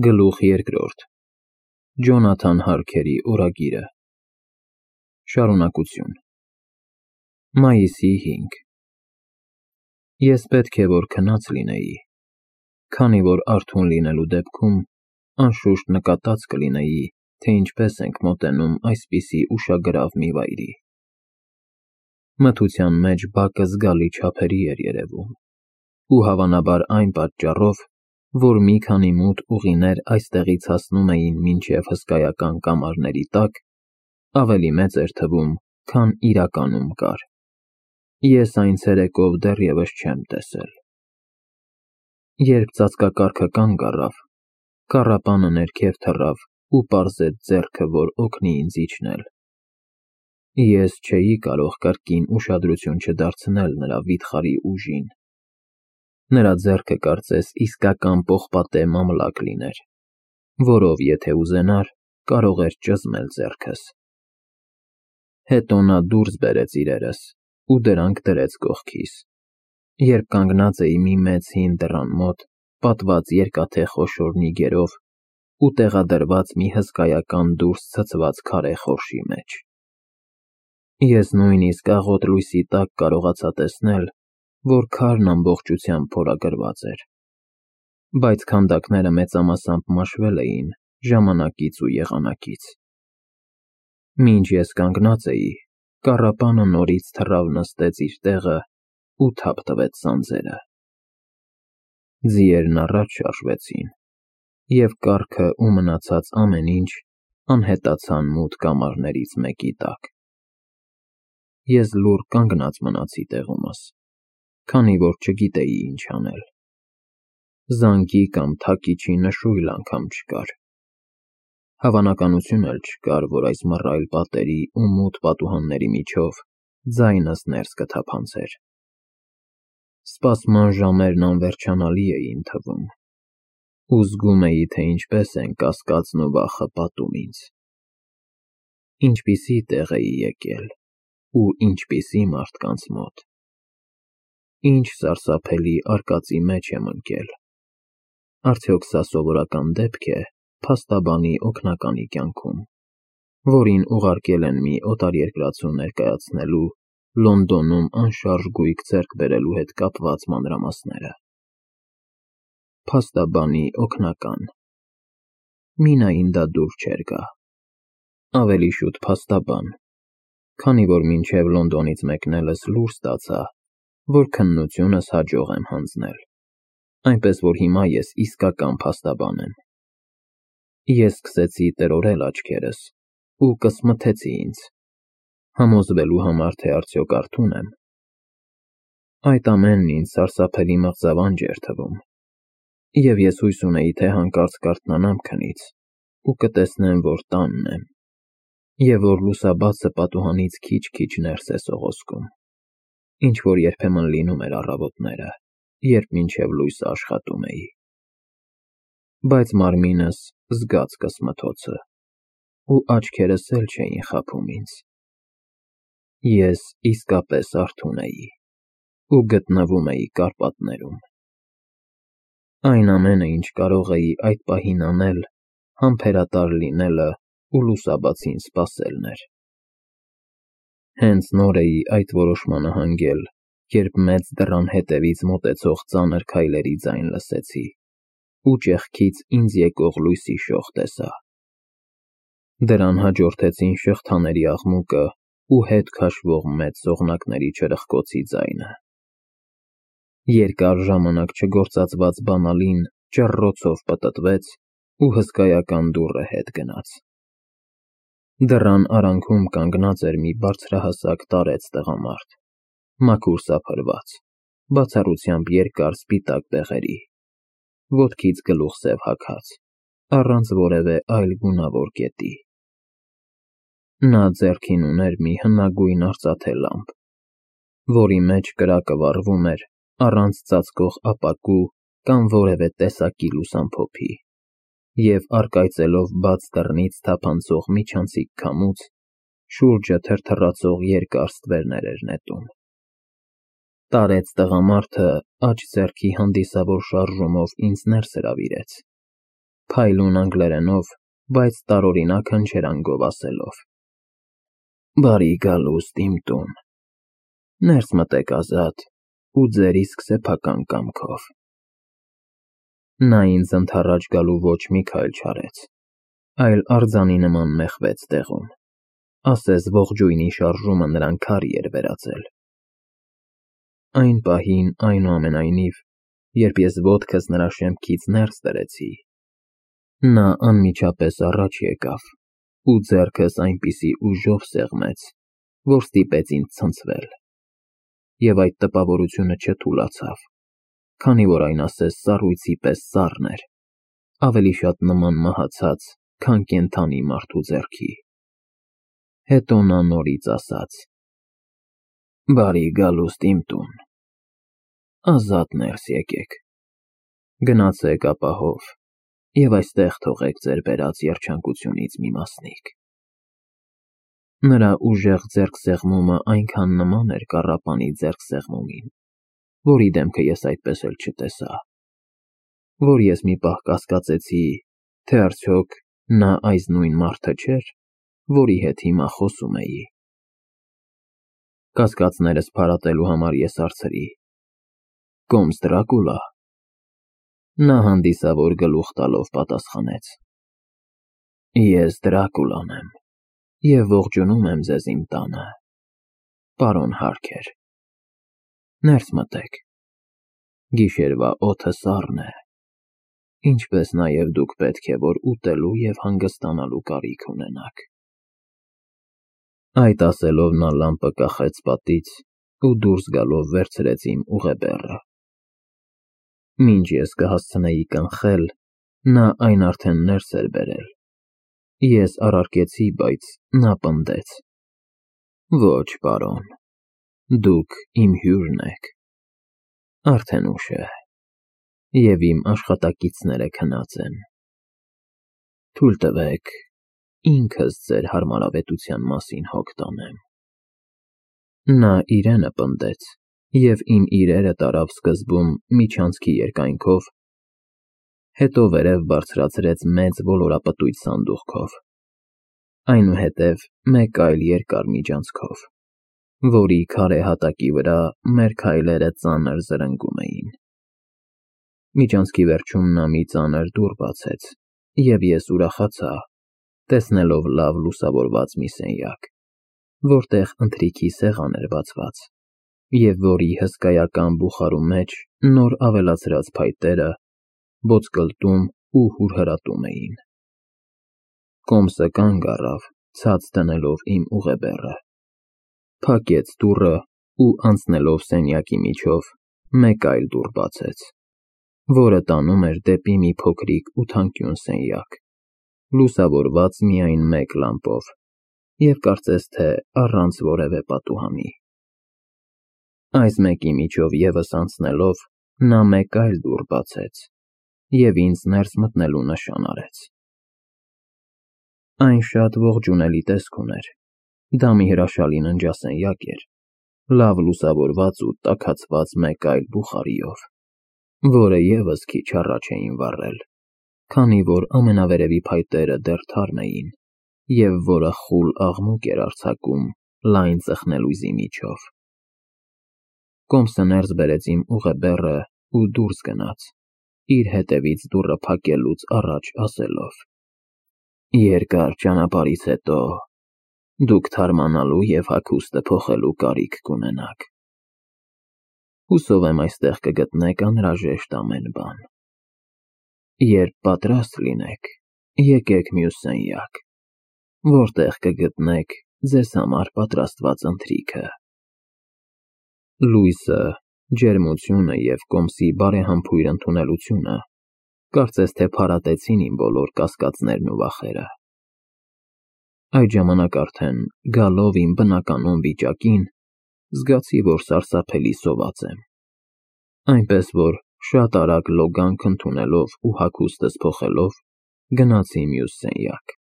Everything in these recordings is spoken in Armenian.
Գլուխ երկրորդ Ջոնաթան Հարքերի օրագիրը Շարունակություն Մայիսի 5 Ես պետք է որ քնած լինեի, քանի որ արթուն լինելու դեպքում անշուշտ նկատած կլինեի, թե ինչպես ենք մոտենում այսպիսի ուշագրավ մի վայրի։ Մթության մեջ բակը զգալի չափերի էր երևում, ու հավանաբար այն պատճառով, որ մի քանի մութ ուղիներ այստեղից հասնում էին մինչև հսկայական կամարների տակ, ավելի մեծ էր թվում, քան իրականում կար։ Ես այն ցերեկով դեռևս չեմ տեսել։ Երբ ծածկակարգը կանգ առավ, կառապանը ներքև թռավ ու պարզեց ձեռքը, որ օգնի ինձ իջնել։ Ես չէի կարող կրկին ուշադրություն չդարձնել նրա վիթխարի ուժին։ Նրա ձեռքը կարծես իսկական պողպատե մամլակ լիներ, որով եթե ուզենար, կարող էր ճզմել ձեռքս։ Հետո նա դուրս բերեց իրերս ու դրանք դրեց կողքիս, երբ կանգնած էի մի մեծ հին դռան մոտ, պատված երկաթե խոշոր նիգերով ու տեղադրված մի հսկայական դուրս ցցված քարե խորշի մեջ։ Ես նույնիսկ աղոտ լույսի տակ կարողացա տեսնել, որ քարն ամբողջությամբ փորագրված էր, բայց քանդակները մեծամասամբ մաշվել էին ժամանակից ու եղանակից։ Մինչ ես կանգնած էի, կառապանը նորից թռավ նստեց իր տեղը ու թափ տվեց սանձերը։ Ձիերն առաջ շարժվեցին, և կառքը ու մնացած ամեն ինչ անհետացան մութ կամարներից մեկի տակ։ Ես լուռ կանգնած մնացի տեղումս, քանի որ չգիտեի ինչ անել։ Զանգի կամ թակիչի նշույլ անգամ չկար։ Հավանականություն էլ չկար, որ այս մռայլ պատերի ու մութ պատուհանների միջով ձայնս ներս կթափանցեր։ Սպասման ժամերն անվերջանալի էին թվում, ու զգում էի, թե ինչպես են կասկածն ու վախը պատում ինձ։ Ինչպիսի տեղ էի եկել ու ինչպիսի մարդկանց մոտ։ Ինչ սարսափելի արկածի մեջ եմ ընկել։ Արդյոք սա սովորական դեպք է փաստաբանի օգնականի կյանքում, որին ուղարկել են մի օտարերկրացու ներկայացնելու Լոնդոնում անշարժ գույք ձեռք բերելու հետ կապված մանրամասները։ Փաստաբանի օգնական։ Մինային դա դուր չէր գա։ Ավելի շուտ փաստաբան, քանի որ մինչև Լոնդոնից մեկնելս լուր ստացա, որ քննությունս հաջող եմ հանձնել, այնպես որ հիմա ես իսկական փաստաբան եմ։ Ես սկսեցի տրորել աչքերս ու կսմթեցի ինձ, համոզվելու համար, թե արդյոք արթուն եմ։ Այդ ամենն ինձ սարսափելի մղձավանջ էր թվում, և ես հույս ունեի, թե հանկարծ կարթնանամ քնից ու կտեսնեմ, որ տանն եմ, և որ լուսաբացը պատուհանից քիչ-քիչ ներս է սողոսկում, ինչ որ երբեմն լինում էր առավոտները, երբ մինչև լույսը աշխատում էի։ Բայց մարմինս զգաց կսմթոցը, ու աչքերս էլ չէին խաբում ինձ։ Ես իսկապես արթուն էի ու գտնվում էի Կարպատներում։ Այն ամենը, ինչ կարող էի այդ պահին անել, համբերատար լինելը ու լուսաբացին սպասելն էր։ Հենց նոր էի այդ որոշմանը հանգել, երբ մեծ դռան հետևից մոտեցող ծանր քայլերի ձայն լսեցի ու ճեղքից ինձ եկող լույսի շող տեսա։ Դրան հաջորդեցին շղթաների աղմուկը ու հետ քաշվող մեծ սողնակների չրխկոցի ձայնը։ Երկար ժամանակ չգործածված բանալին ճռռոցով պտտվեց ու հսկայական դուռը հետ գնաց։ Դռան արանքում կանգնած էր մի բարձրահասակ տարեց տղամարդ, մաքուր սափրված, բացառությամբ երկար սպիտակ բեղերի, ոտքից գլուխսև հագած, առանց որևէ այլ գունավոր կետի։ Նա ձեռքին ուներ մի հնագույն արծաթե լամպ, որի մեջ կրակը վառվում էր առանց ծածկող ապակու կամ որևէ տեսակի լուսամփոփի, և առկայծելով բաց դռնից թափանցող միջանցիկ քամուց, շուրջը թրթռացող երկար ստվերներ էր նետում։ Տարեց տղամարդը աջ ձեռքի հանդիսավոր շարժումով ինձ ներս հրավիրեց, փայլուն անգլերենով, բայց տարօրինակ հնչերանգով ասելով. «Բարի գալուստ իմ տուն, ներս մտեք ազատ ու ձեր իսկ սեփական կամքով»։ Նա ինձ ընդառաջ գալու ոչ մի քայլ չարեց, այլ արձանի նման մեխվեց տեղում, ասես ողջույնի շարժումը նրան քարի էր վերածել։ Այն պահին, այնուամենայնիվ, երբ ես ոտքս նրա շեմքից ներս դրեցի, նա անմիջապես առաջ եկավ ու ձեռքս այնպիսի ուժով սեղմեց, որ ստիպեց ինձ ցնցվել, և այդ տպավորությունը չթուլացավ, քանի որ այն ասես սառույցի պես սառն էր, ավելի շատ նման մահացած, քան կենդանի մարդու ձեռքի։ Հետո նա նորից ասաց. «Բարի գալուստ իմ տուն, ազատ ներս եկեք, գնացեք ապահով և այստեղ թողեք ձեր բերած երջանկությունից մի մասնիկ»։ Նրա ուժեղ ձեռքսեղմումը այնքան նման էր կառապանի ձեռքսեղմումին, որի դեմքը ես այդպես էլ չտեսա, որ ես մի պահ կասկածեցի, թե արդյոք նա այս նույն մարդը չէր, որի հետ հիմա խոսում էի։ Կասկածներս փարատելու համար ես հարցրի. «Կոմս Դրակուլա»։ Նա հանդիսավոր գլուխ տալով պատասխանեց. «Ես Դրակուլան եմ և ողջունում եմ ձեզ իմ տանը, պարոն Հարքեր։ Ներս մտեք, գիշերվա օդը սառն է, ինչպես նաև դուք պետք է որ ուտելու և հանգստանալու կարիք ունենաք»։ Այդ ասելով նա լամպը կախեց պատից ու դուրս գալով վերցրեց իմ ուղեբեռը։ Մինչ ես կհասցնեի կանխել, նա այն արդեն ներս էր բերել։ Ես առարկեցի, բայց նա պնդեց. «Ոչ, պարոն, դուք իմ հյուրն եք։ Արդեն ուշ է, և իմ աշխատակիցները քնած են։ Թույլ տվեք ինքս ձեր հարմարավետության մասին հոգ տանեմ»։ Նա իրենը պնդեց և իմ իրերը տարավ սկզբում միջանցքի երկայնքով, հետո վերև բարձրացրեց մեծ ոլորապտույտ սանդուղքով, այնուհետև մեկ այլ երկար միջանցքով, որի քարե հատակի վրա մեր քայլերը ծանր զրնգում էին։ Միջանցքի վերջում նա մի ծանր դուռ բացեց, և ես ուրախացա, տեսնելով լավ լուսավորված մի սենյակ, որտեղ ընթրիքի սեղան էր բացված, և որի հսկայական բուխարու մեջ նոր ավելացրած փայտերը ոսկլտում ու հուրհրատում էին։ Կոմսը կանգ առավ, ցած դնելով իմ ուղեբեռը, փակեց դուռը ու անցնելով սենյակի միջով մեկ այլ դուռ բացեց, որը տանում էր դեպի մի փոքրիկ ու թանկյուն սենյակ, լուսավորված միայն մեկ լամպով և կարծես թե առանց որևէ պատուհանի։ Այս մեկի միջով ևս անցնելով նա մեկ այլ դուռ բացեց և ինձ ներս մտնելու նշան արեց։ Այն շատ ողջունելի տեսք ուներ, դա մի հրաշալի ննջասենյակ էր, լավ լուսավորված ու տաքացված մեկ այլ բուխարիով, որը ևս քիչ առաջ էին վառել, քանի որ ամենավերևի փայտերը դեռ թարմ էին, և որը խուլ աղմուկ էր արձակում լայն ծխնելույզի միջով։ Կոմսը ներս բերեց իմ ուղեբեռը ու դուրս գնաց, իր հետևից դուռը փակելուց առաջ ասելով. «Երկար ճանապարհից հետո դուք թարմանալու և հագուստը փոխելու կարիք կունենաք։ Հուսով եմ այստեղ կգտնեք անհրաժեշտ ամեն բան։ Երբ պատրաստ լինեք, եկեք մյուս սենյակ, որտեղ կգտնեք ձեզ համար պատրաստված ընթրիքը»։ Լույսը, ջերմությունը և Կոմսի բարեհամբույր ընդունելությունը կարծես թե փարատեցին իմ բոլոր կասկածներն ու վախերը։ Այդ ժամանակ արդեն, գալով իմ բնականոն վիճակին, զգացի, որ սարսափելի սոված եմ, այնպես որ շատ արագ լոգանք ընդունելով ու հագուստս փոխելով գնացի մյուս սենյակ։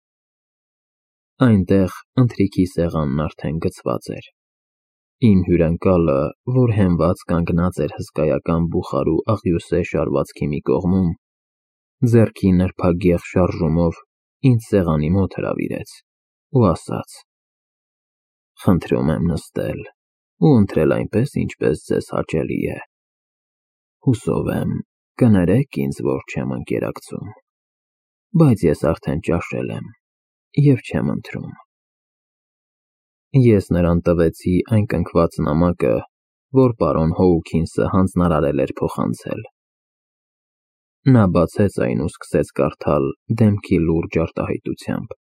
Այնտեղ ընթրիքի սեղանն արդեն գցված էր։ Իմ հյուրընկալը, որ հենված կանգնած էր հսկայական բուխարու աղյուսե շարվածքի մի կողմում, ձեռքի նրբագեղ շարժումով ինձ սեղանի մոտ հրավիրեց ու ասաց. «Խնդրում եմ նստել ու ընտրել այնպես, ինչպես ձեզ հաճելի է։ Հուսով եմ, կներեք ինձ, որ չեմ ընկերակցում, բայց ես արդեն ճաշել եմ և չեմ ընտրում»։ Ես նրան տվեցի այն կնքված նամակը, որ պարոն Հոուքինսը հանձնարարել էր փոխանցել։ Նա բացեց այն ու սկսեց կարդալ դեմքի լուրջ արտահայտությամբ,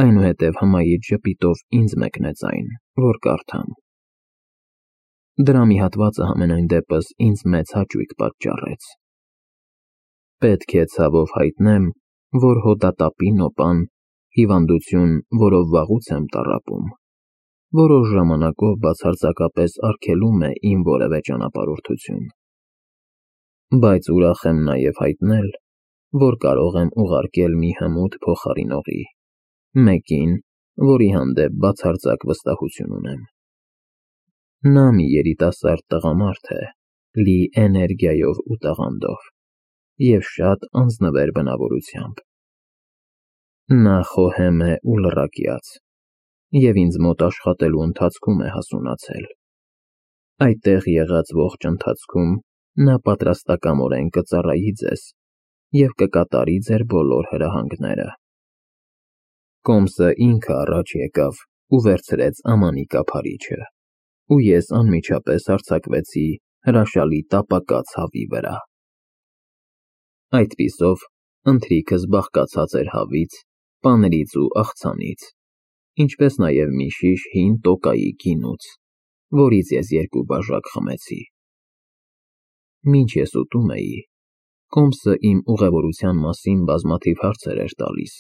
այնուհետև հմայիչ ժպիտով ինձ մեկնեց այն, որ կարդամ։ Դրա մի հատվածը համենայն դեպս ինձ մեծ հաճույք պատճառեց։ Պետք է ցավով հայտնեմ, որ հոդատապի նոպան, հիվանդություն, որով վաղուց եմ տառապում, որոշ ժամանակով բացարձակապես արգելում է իմ որևէ ճանապարհորդություն։ Բայց ուրախ եմ նաև հայտնել, որ կարող եմ ուղարկել մի հմուտ փոխարինողի, մեկին, որի հանդեպ բացարձակ վստահություն ունեմ։ Նա մի երիտասարդ տղամարդ է, լի էներգիայով ու տաղանդով և շատ անձնվեր բնավորությամբ։ Նա խոհեմ է ու լռակյաց և ինձ մոտ աշխատելու ընթացքում է հասունացել։ Այդտեղ եղած ողջ ընթացքում նա պատրաստակամորեն կծառայի ձեզ և կկատարի ձեր բոլոր հրահանգները։ Կոմսը ինքը առաջ եկավ ու վերցրեց ամանի կափարիչը, ու ես անմիջապես հարձակվեցի հրաշալի տապակած հավի վրա։ Այդպիսով ընթրիքս բաղկացած էր հավից, պանրից ու աղցանից, ինչպես նաև մի շիշ հին տոկայի գինուց, որից ես 2 բաժակ խմեցի։ Մինչ ես ուտում էի, Կոմսը իմ ուղևորության մասին բազմաթիվ հարցեր էր տալիս,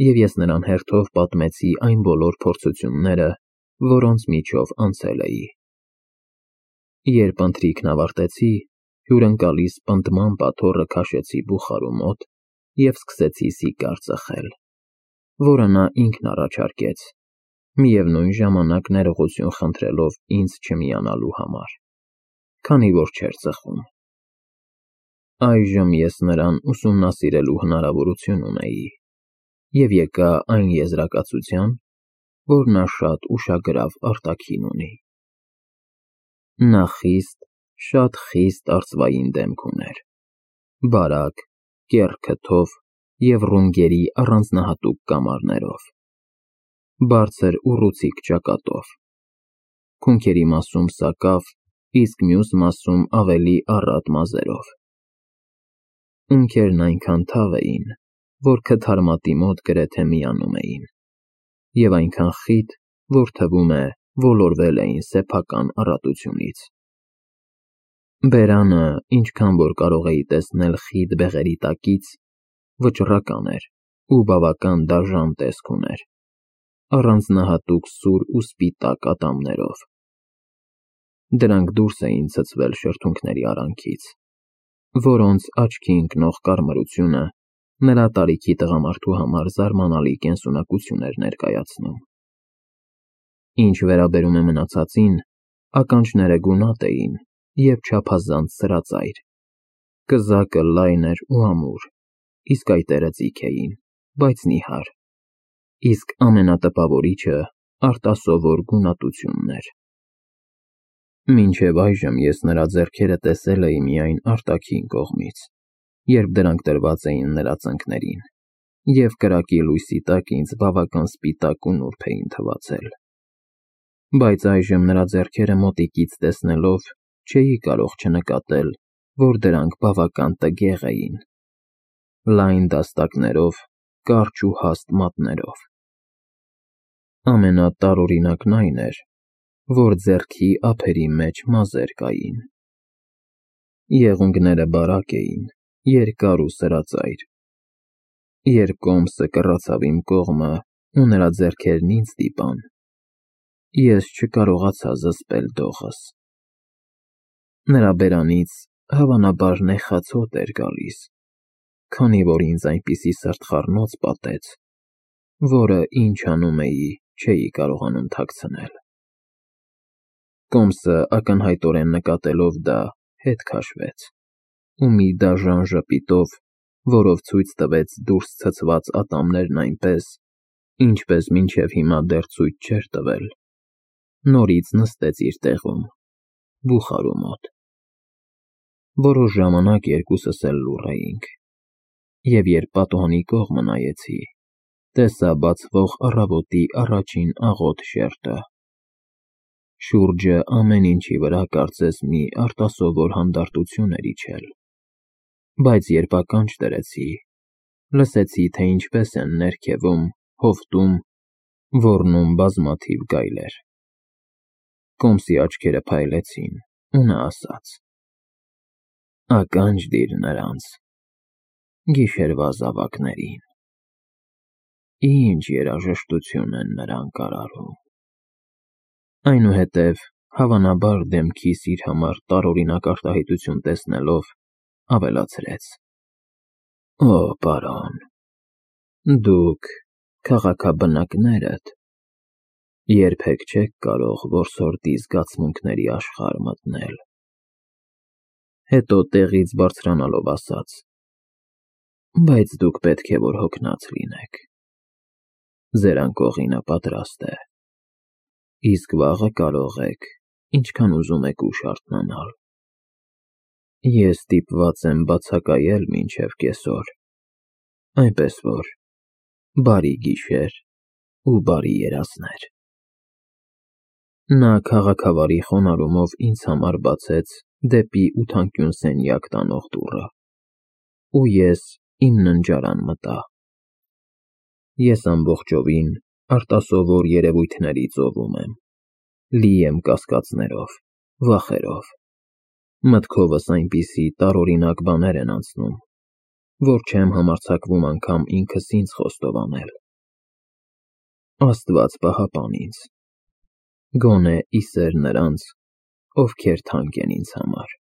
և ես նրան հերթով պատմեցի այն բոլոր փորձությունները, որոնց միջով անցել էի։ Երբ ընթրիքն ավարտեցի, հյուրընկալիս պնդման պատոռը քաշեցի բուխարու մոտ և սկսեցի սիգար ծխել, որը նա ինքն առաջարկեց, միևնույն ժամանակ ներողություն խնդրելով ինձ չմիանալու համար, քանի որ չէր ծխում։ Այժմ ես նրան ուսումնասիրելու հնարավորություն ունեի և եկա այն եզրակացության, որ նա շատ ուշագրավ արտաքին ունի։ Նա շատ խիստ արծվային դեմք ուներ, բարակ, կեռ քթով և ռունգերի առանձնահատուկ կամարներով, բարձր ուռուցիկ ճակատով, քունքերի մասում սակավ, իսկ մյուս մասում ավելի առատ մազերով։ Ունքերն այնքան թավ էին, որ քթարմատի մոտ գրեթե միանում էին, և այնքան խիտ, որ թվում է ոլորվել էին սեփական առատությունից։ Բերանը, ինչքան որ կարող էի տեսնել խիտ բեղերի տակից, վճռական էր ու բավական դաժան տեսք ուներ, առանձնահատուկ սուր ու սպիտակ ատամներով։ Դրանք դուրս էին ցցվել շրթունքների արանքից, որոնց աչքի ընկնող կարմրությունը նրա տարիքի տղամարդու համար զարմանալի կենսունակություն էր ներկայացնում։ Ինչ վերաբերում է մնացածին, ականջները գունատ էին և չափազանց սրածայր, կզակը լայն էր ու ամուր, իսկ այտերը ձիգ էին, բայց նիհար, իսկ ամենատպավորիչը արտասովոր գունատությունն էր։ Մինչև այժմ ես նրա ձեռքերը տեսել էի միայն արտաքին կողմից, երբ դրանք դրված էին նրա ծնկներին, և կրակի լույսի տակ ինձ բավական սպիտակ ու նուրբ էին թվացել։ Բայց այժմ նրա ձեռքերը մոտիկից տեսնելով չէի կարող չնկատել, որ դրանք բավական տգեղ էին, լայն դաստակներով, կարճ ու հաստ մատներով։ Ամենատարօրինակն այն էր, որ ձեռքի ափերի մեջ մազեր կային։ Եղունգները բարակ էին, երկար ու սրածայր։ Երբ Կոմսը կռացավ իմ կողմը ու նրա ձեռքերն ինձ դիպան, ես չկարողացա զսպել դողս։ Նրա բերանից հավանաբար նեխած հոտ էր գալիս, քանի որ ինձ այնպիսի սրտխառնոց պատեց, որը, ինչ անում էի, չէի կարողանում թաքցնել։ Կոմսը ակնհայտորեն նկատելով դա, հետ քաշվեց ու մի դաժան ժպիտով որով ցույց տվեց դուրս ցցված ատամներն այնպես, ինչպես մինչև հիմա դեռ ցույց չէր տվել, նորից նստեց իր տեղում, բուխարու մոտ։ Որոշ ժամանակ երկուսս էլ լուռ էինք, և երբ պատուհանի կողմը նայեցի, տեսա բացվող առավոտի առաջին աղոտ շերտը։ Շուրջը ամեն ինչի վրա կարծես մի արտասովոր հանդարտություն էր իջել, բայց երբ ականջ դրեցի, լսեցի, թե ինչպես են ներքևում, հովտում, ոռնում բազմաթիվ գայլեր։ Կոմսի աչքերը փայլեցին, ու նա ասաց. «Ականջ դիր նրանց, գիշերվա զավակներին, ինչ երաժշտություն են նրանք արարում»։ Այնուհետև, հավանաբար դեմքիս իր համար տարօրինակ արտահայտություն տեսնելով, ավելացրեց. «Օ, պարոն, դուք, քաղաքաբնակներդ, երբեք չեք կարող որսորդի զգացմունքների աշխարհ մտնել»։ Հետո տեղից բարձրանալով ասաց. «Բայց դուք պետք է որ հոգնած լինեք, ձեր անկողինը պատրաստ է, իսկ վաղը կարող եք ինչքան ուզում եք ուշ արթնանալ։ Ես ստիպված եմ բացակայել մինչև կեսօր, այնպես որ բարի գիշեր ու բարի երազներ»։ Նա քաղաքավարի խոնարհումով ինձ համար բացեց դեպի ութանկյուն սենյակ տանող դուռը, ու ես իմ ննջարան մտա։ Ես ամբողջովին արտասովոր երևույթների ծովում եմ, լի եմ կասկածներով, վախերով, մտքովս այնպիսի տարօրինակ բաներ են անցնում, որ չեմ համարձակվում անգամ ինքս ինձ խոստովանել։ Աստված պահապան ինձ, գոնե ի սեր նրանց, ովքեր թանկ են ինձ համար։